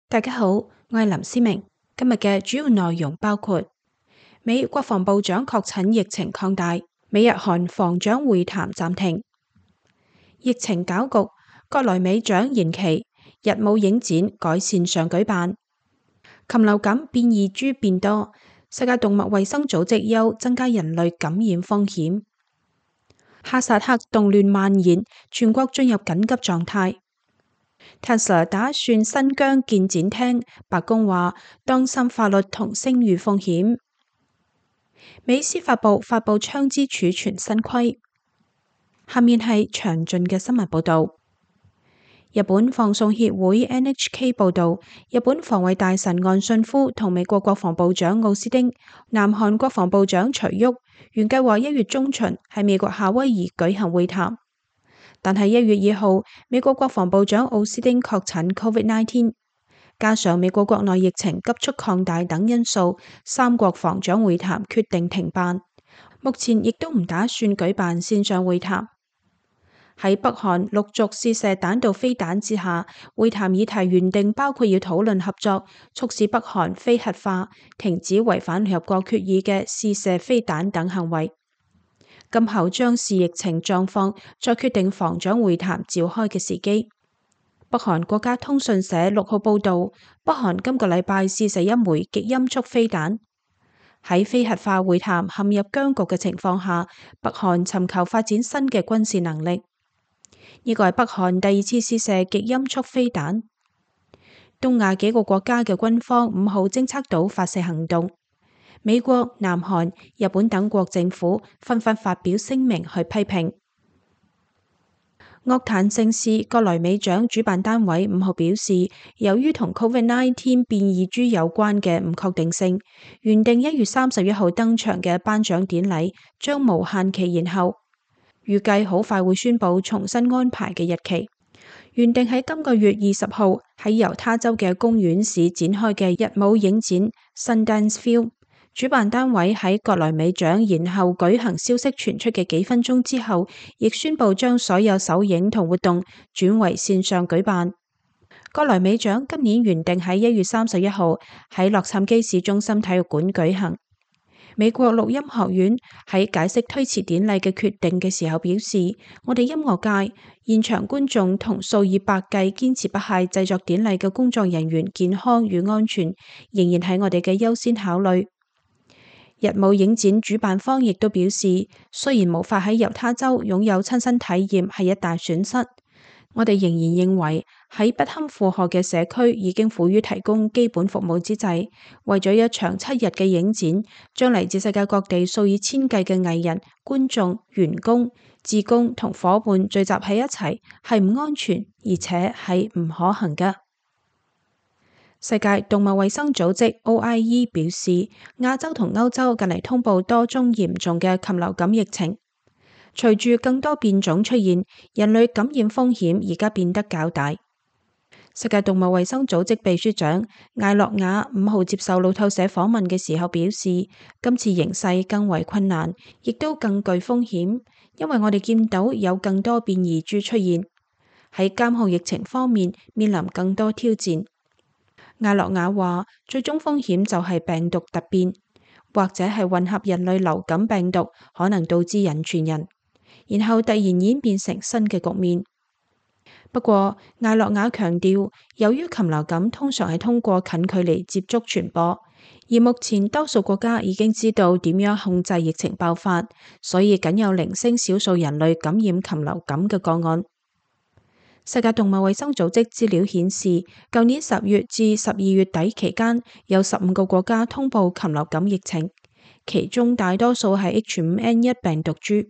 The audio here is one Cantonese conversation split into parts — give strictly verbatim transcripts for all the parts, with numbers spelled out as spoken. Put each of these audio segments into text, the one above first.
大家好，我係林思明。今日嘅主要內容包括：美國防部長確診疫情擴大，美日韓防長會談暫停；疫情攪局，葛萊美獎延期，日舞影展改線上舉辦；禽流感變異株變多，世界動物衛生組織憂增加人類感染風險；哈薩克動亂蔓延，全國進入緊急狀態。Tesla 打算新疆建展廳，白宮話當心法律同聲譽風險。美司法部發布槍支儲存新規。下面係詳盡嘅新聞報道。日本放送協會 N H K 報道，日本防衛大臣岸信夫同美國國防部長奧斯汀、南韓國防部長徐旭原計劃一月中旬喺美國夏威夷舉行會談。但係一月二號，美國國防部長奧斯汀確診 COVID 十九， 加上美國國內疫情急速擴大等因素，三國防長會談決定停辦。目前亦都唔打算舉辦線上會談。喺北韓陸續試射彈道飛彈之下，會談議題原定包括要討論合作，促使北韓非核化、停止違反聯合國決議嘅試射飛彈等行為。今後將視疫情狀況，再決定防長會談召開嘅時機。北韓國家通訊社六號報道，北韓今個禮拜試射一枚極音速飛彈。喺非核化會談陷入僵局嘅情況下，北韓尋求發展新嘅軍事能力。呢個係北韓第二次試射極音速飛彈。東亞幾個國家嘅軍方五號偵測到發射行動。美國、南韓、日本等國政府紛紛發表聲明去批評。樂壇盛事葛萊美獎主辦單位五號表示，由於同 COVID 十九 變異株有關嘅唔確定性，原定一月三十一號登場嘅頒獎典禮將無限期延後，預計好快會宣布重新安排嘅日期。原定喺今個月二十號喺猶他州嘅公園市展開嘅日舞影展 Sundance Film，主辦單位喺葛萊美獎延後舉行消息傳出嘅幾分鐘之後，亦宣布將所有首映同活動轉為線上舉辦。葛萊美獎今年原定喺一月三十一號喺洛杉磯市中心體育館舉行。美國錄音學院喺解釋推遲典禮嘅決定嘅時候表示，我哋音樂界、現場觀眾同數以百計堅持不懈製作典禮嘅工作人員健康與安全仍然係我哋嘅優先考慮。日舞影展主辦方亦都表示，雖然無法喺猶他州擁有親身體驗係一大損失，我哋仍然認為喺不堪負荷嘅社區已經苦於提供基本服務之際，為咗一場七日嘅影展，將嚟自世界各地數以千計嘅藝人、觀眾、員工、志工同伙伴聚集喺一齊，係唔安全而且係唔可行㗎。世界動物衛生組織 O I E 表示，亞洲同歐洲近嚟通報多宗嚴重嘅禽流感疫情。隨住更多變種出現，人類感染風險而家變得較大。世界動物衛生組織秘書長艾洛亞五號接受路透社訪問嘅時候表示，今次形勢更為困難，亦都更具風險，因為我哋見到有更多變異株出現，喺監控疫情方面面臨更多挑戰。艾洛亞話，最終風險就係病毒突變，或者係混合人類流感病毒，可能導致人傳人，然後突然演變成新嘅局面。不過，艾洛亞強調，由於禽流感通常係通過近距離接觸傳播，而目前多數國家已經知道點樣控制疫情爆發，所以僅有零星少數人類感染禽流感嘅個案。世界動物衛生組織資料顯示，舊年十月至十二月底期間，有十五個國家通報禽流感疫情，其中大多數係 H 五 N 一 病毒株。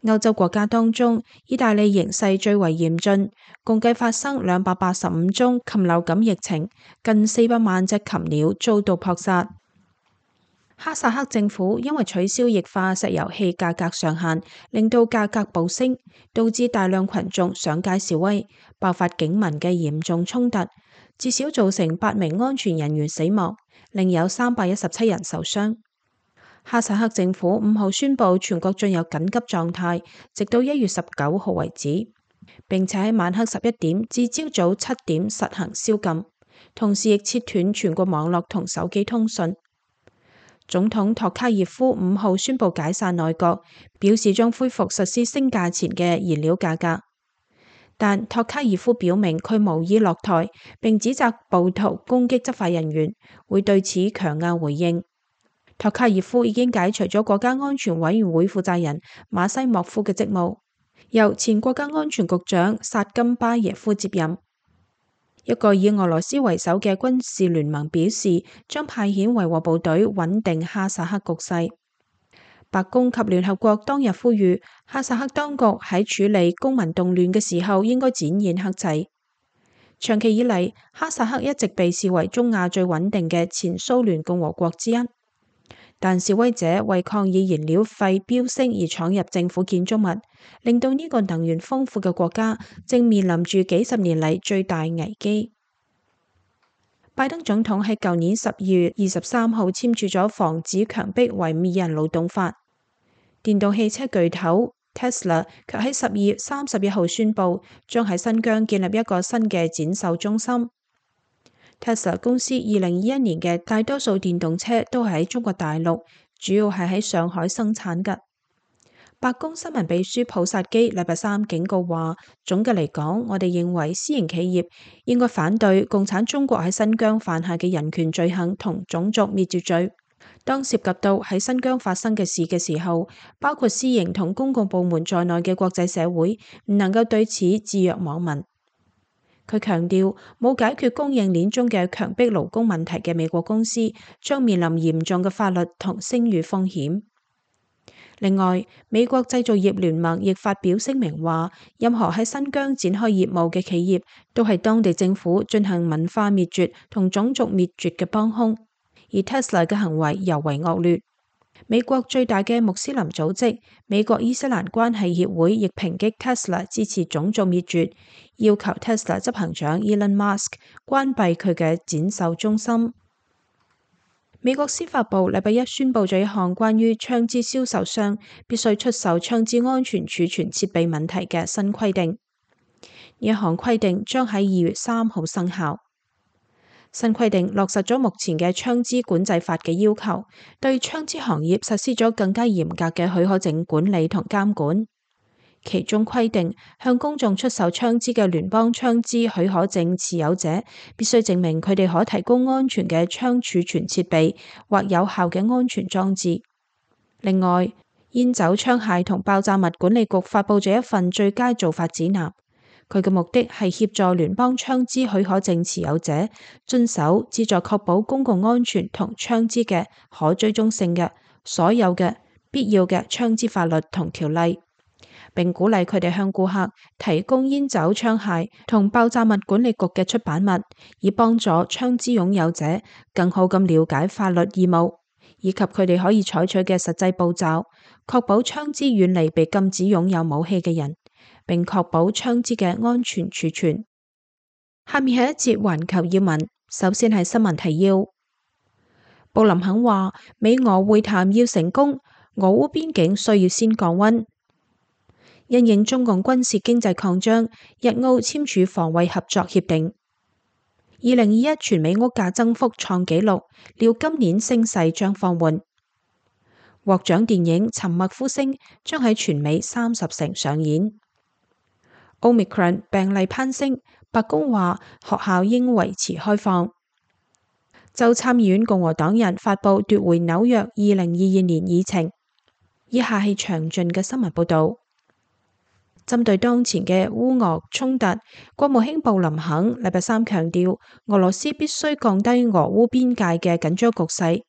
歐洲國家當中，意大利形勢最為嚴峻，共計發生兩百八十五宗禽流感疫情，近四百萬隻禽鳥遭到撲殺。哈薩克政府因為取消液化石油氣價格上限，令到價格暴升，導致大量群眾上街示威，爆發警民嘅嚴重衝突，至少造成八名安全人員死亡，另有三百一十七人受傷。哈薩克政府五號宣布全國進入緊急狀態，直到一月十九號為止，並且喺晚黑十一點至朝早七點實行宵禁。同時亦切斷全國網絡同手機通訊。總統托卡耶夫五號宣布解散內閣，表示將恢復實施升價前嘅燃料價格。但托卡耶夫表明佢無意落台，並指責暴徒攻擊執法人員，會對此強硬回應。托卡耶夫已經解除咗國家安全委員會負責人馬西莫夫嘅職務，由前國家安全局長薩金巴耶夫接任。一個以俄羅斯為首嘅軍事聯盟表示，將派遣維和部隊穩定哈薩克局勢。白宮及聯合國當日呼籲哈薩克當局喺處理公民動亂嘅時候應該展現克制。長期以嚟，哈薩克一直被視為中亞最穩定嘅前蘇聯共和國之一，但示威者為抗議燃料費飆升而闖入政府建築物，令到呢個能源豐富嘅國家正面臨住幾十年嚟最大危機。拜登總統喺舊年十二月二十三號簽署咗防止強迫維吾爾人勞動法。電動汽車巨頭 Tesla 卻喺十二月三十一號宣布，將喺新疆建立一個新嘅展售中心。Tesla 公司二零二一年嘅大多數電動車都係喺中國大陸，主要係喺上海生產嘅。白宮新聞秘書普薩基禮拜三警告話，總嘅嚟講，我哋認為私營企業應該反對共產中國喺新疆犯下嘅人權罪行同種族滅絕罪。當涉及到喺新疆發生嘅事嘅時候，包括私營同公共部門在內嘅國際社會唔能夠對此置若罔聞。佢強調，冇解決供應鏈中嘅強迫勞工問題嘅美國公司將面臨嚴重嘅法律同聲譽風險。另外，美國製造業聯盟亦發表聲明話，任何喺新疆展開業務嘅企業都係當地政府進行文化滅絕同種族滅絕嘅幫兇，而 Tesla 嘅行為尤為惡劣。美國最大嘅穆斯林組織美國伊斯蘭關係協會亦抨擊 Tesla 支持種族滅絕，要求 Tesla 執行長 Elon Musk 關閉佢嘅展售中心。美國司法部禮拜一宣布咗一項關於槍支銷售商必須出售槍支安全儲存設備問題嘅新規定。呢一項規定將喺二月三號生效。新規定落實咗目前嘅槍支管制法嘅要求，對槍支行業實施咗更加嚴格嘅許可證管理同監管。其中規定，向公眾出售槍支嘅聯邦槍支許可證持有者必須證明佢哋可提供安全嘅槍儲存設備或有效嘅安全裝置。另外，煙酒槍械同爆炸物管理局發佈咗一份最佳做法指南，佢嘅目的係協助聯邦槍支許可證持有者遵守旨在確保公共安全同槍支嘅可追蹤性嘅所有嘅必要嘅槍支法律同條例，並鼓勵佢哋向顧客提供煙酒槍械同爆炸物管理局嘅出版物，以幫助槍支擁有者更好咁了解法律義務，以及佢哋可以採取嘅實際步驟，確保槍支遠離被禁止擁有武器嘅人，並確保槍支嘅安全儲存。下面係一節環球要聞，首先係新聞提要。布林肯話，美俄會談要成功，俄烏邊境需要先降溫。因應中共軍事經濟擴張，日澳簽署防衛合作協定。二零二一全美屋價增幅創紀錄，料今年升勢將放緩。獲獎電影《沉默呼聲》將喺全美三十城上演。Omicron 病例攀升，白宮話學校應維持開放。州參議院共和黨人發佈奪回紐約二零二二年議程。以下係詳盡嘅新聞報導。針對當前嘅烏俄衝突，國務卿布林肯禮拜三強調，俄羅斯必須降低俄烏邊界嘅緊張局勢，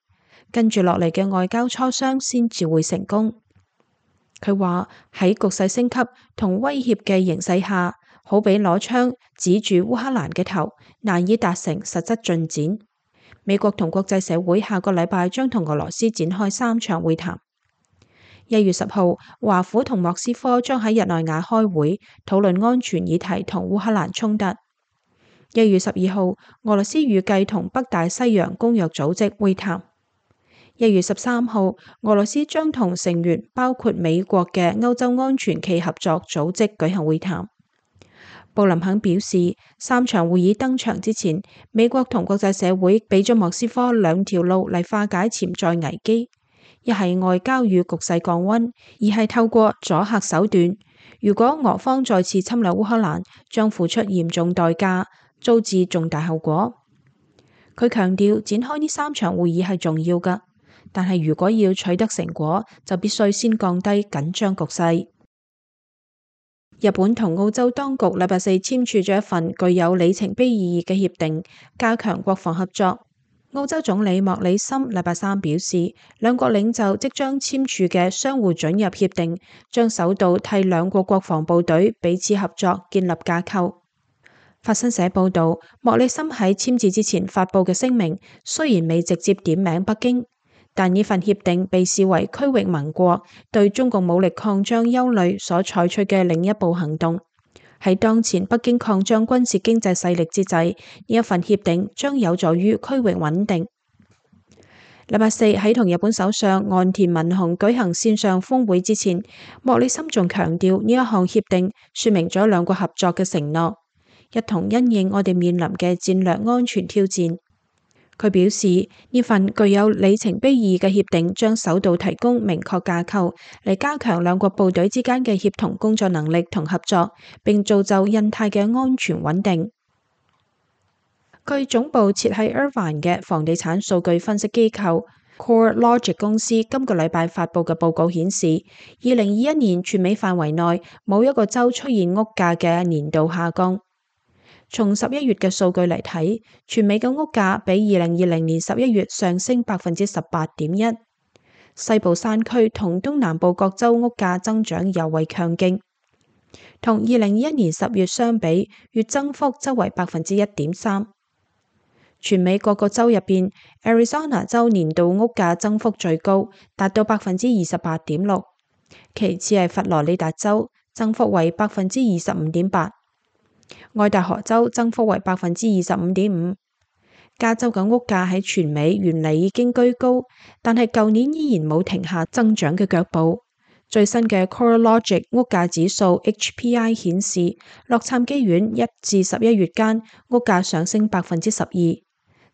跟住落嚟嘅外交磋商先至會成功。佢話喺局勢升級同威脅嘅形勢下，好比攞槍指住烏克蘭嘅頭，難以達成實質進展。美國同國際社會下個禮拜將同俄羅斯展開三場會談。一月十號，華府同莫斯科將喺日內瓦開會，討論安全議題同烏克蘭衝突。一月十二號，俄羅斯預計同北大西洋公約組織會談。一月十三號，俄羅斯將同成員包括美國嘅歐洲安全暨合作組織舉行會談。布林肯表示，三場會議登場之前，美國同國際社會俾咗莫斯科兩條路嚟化解潛在危機，一係外交與局勢降溫，二係透過阻嚇手段。如果俄方再次侵略烏克蘭，將付出嚴重代價，遭致重大後果。佢強調，展開呢三場會議係重要㗎，但係如果要取得成果，就必須先降低緊張局勢。日本同澳洲當局禮拜四簽署咗一份具有里程碑意義嘅協定，加強國防合作。澳洲總理莫里森禮拜三表示，兩國領袖即將簽署嘅相互准入協定，將首度替兩國國防部隊彼此合作建立架構。法新社報道，莫里森喺簽字之前發佈嘅聲明，雖然未直接點名北京，但呢份協定被視為區域盟國對中共武力擴張憂慮所採取嘅另一步行動。喺當前北京擴張軍事經濟勢力之際，呢一份協定將有助於區域穩定。禮拜四喺同日本首相岸田文雄舉行線上峰會之前，莫里森仲強調呢一項協定說明咗兩國合作嘅承諾，一同因應我哋面臨嘅戰略安全挑戰。佢表示，呢份具有里程碑意義嘅協定將首度提供明確架構，嚟加強兩國部隊之間嘅協同工作能力同合作，並造就印太嘅安全穩定。據總部設喺 Irvine 嘅房地產數據分析機構 CoreLogic 公司今個禮拜發佈嘅報告顯示，二零二一年全美範圍內冇一個州出現屋價嘅年度下降。從十一月嘅數據嚟睇，全美嘅屋價比二零二零年十一月上升百分之十八點一。西部山區同東南部各州屋價增長尤為強勁，同二零二一年十月相比，月增幅則為百分之一點三。全美各個州入邊 ，Arizona 州年度屋價增幅最高，達到百分之二十八點六，其次係佛羅里達州，增幅為百分之二十五點八。愛達荷州增幅為百分之二十五點五，加州嘅屋價喺全美原嚟已經居高，但係舊年依然冇停下增長嘅腳步。最新嘅 CoreLogic 屋價指數 H P I 顯示，洛杉磯縣一至十一月間屋價上升百分之十二，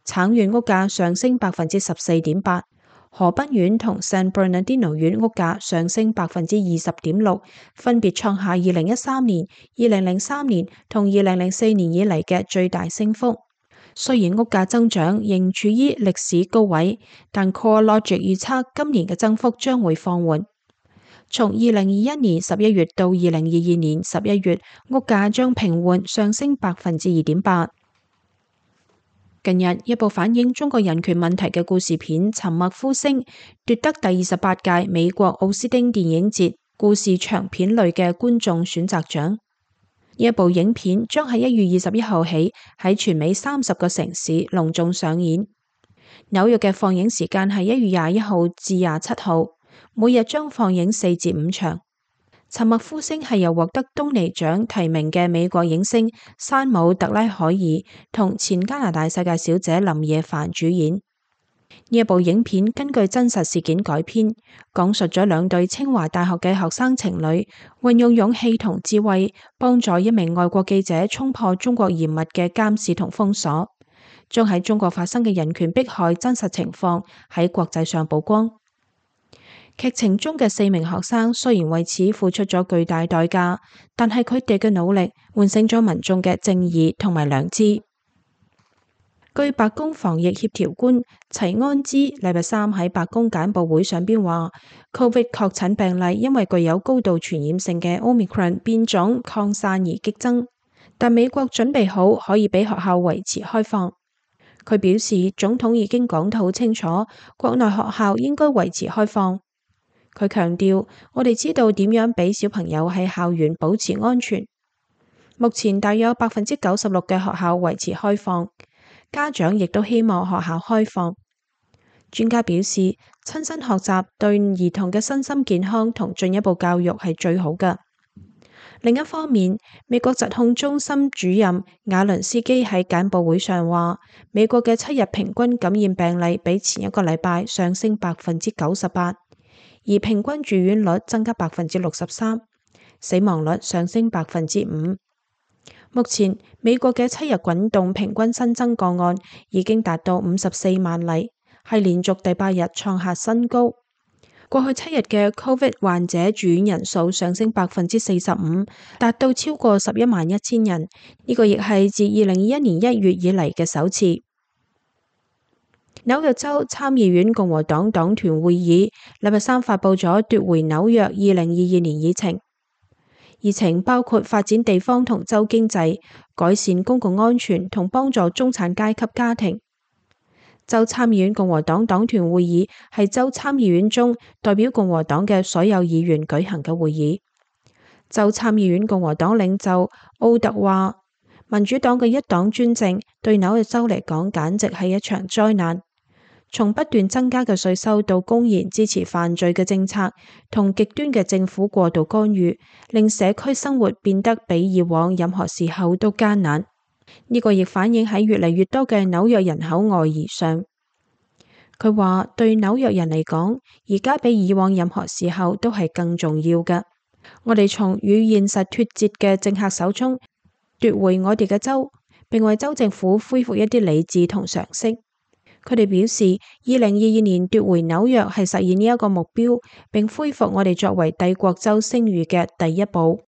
橙縣屋價上升百分之十四點八。河濱縣同 San Bernardino 縣屋價上升百分之二十點六，分別創下二零一三年、二零零三年同二零零四年以嚟嘅最大升幅。雖然屋價增長仍處於歷史高位，但 CoreLogic 預測今年嘅增幅將會放緩。從二零二一年十一月到二零二二年十一月，屋價將平緩上升百分之二點八。近日，一部反映中國人權問題嘅故事片《沉默呼聲》奪得第二十八屆美國奧斯汀電影節故事長片類嘅觀眾選擇獎。呢一部影片將喺一月二十一號起喺全美三十個城市隆重上演。紐約嘅放映時間係一月廿一號至廿七號，每日將放映四至五場。沉默呼聲係由獲得東尼獎提名嘅美國影星山姆特拉海爾同前加拿大世界小姐林野凡主演。呢一部影片根據真實事件改編，講述咗兩對清華大學嘅學生情侶運用勇氣同智慧，幫助一名外國記者衝破中國嚴密嘅監視同封鎖，將喺中國發生嘅人權迫害真實情況喺國際上曝光。劇情中嘅四名學生雖然為此付出咗巨大代價，但係佢哋嘅努力喚醒咗民眾嘅正義同埋良知。據白宮防疫協調官齊安茲禮拜三喺白宮簡報會上邊話，Covid 確診病例因為具有高度傳染性嘅 Omicron 變種擴散而激增，但美國準備好可以俾學校維持開放。佢表示，總統已經講得好清楚，國內學校應該維持開放。佢強調，我哋知道點樣俾小朋友喺校園保持安全。目前大約百分之九十六嘅學校維持開放，家長亦都希望學校開放。專家表示，親身學習對兒童嘅身心健康同進一步教育係最好嘅。另一方面，美國疾控中心主任瓦倫斯基喺簡報會上話，美國嘅七日平均感染病例比前一個禮拜上升百分之九十八。而平均住院率增加百分之六十三，死亡率上升百分之五。目前美國嘅七日滾動平均新增個案已經達到五十四萬例，係連續第八日創下新高。過去七日嘅 Covid 患者住院人數上升百分之四十五，達到超過十一萬一千人。呢個亦係自二零二一年一月以嚟嘅首次。紐約州參議院共和黨黨團會議禮拜三發佈咗奪回紐約二零二二年議程，議程包括發展地方同州經濟、改善公共安全同幫助中產階級家庭。州參議院共和黨黨團會議係州參議院中代表共和黨嘅所有議員舉行嘅會議。州參議院共和黨領袖奧特話：民主黨嘅一黨專政對紐約州嚟講簡直係一場災難。從不斷增加嘅稅收到公然支持犯罪嘅政策同極端嘅政府過度干預，令社區生活變得比以往任何時候都艱難。呢個亦反映喺越嚟越多嘅紐約人口外移上。佢話對紐約人嚟講，而家比以往任何時候都係更重要嘅。我哋從與現實脫節嘅政客手中奪回我哋嘅州，並為州政府恢復一啲理智同常識。佢哋表示，二零二二年奪回紐約係實現呢一個目標，並恢復我哋作為帝國州聲譽嘅第一步。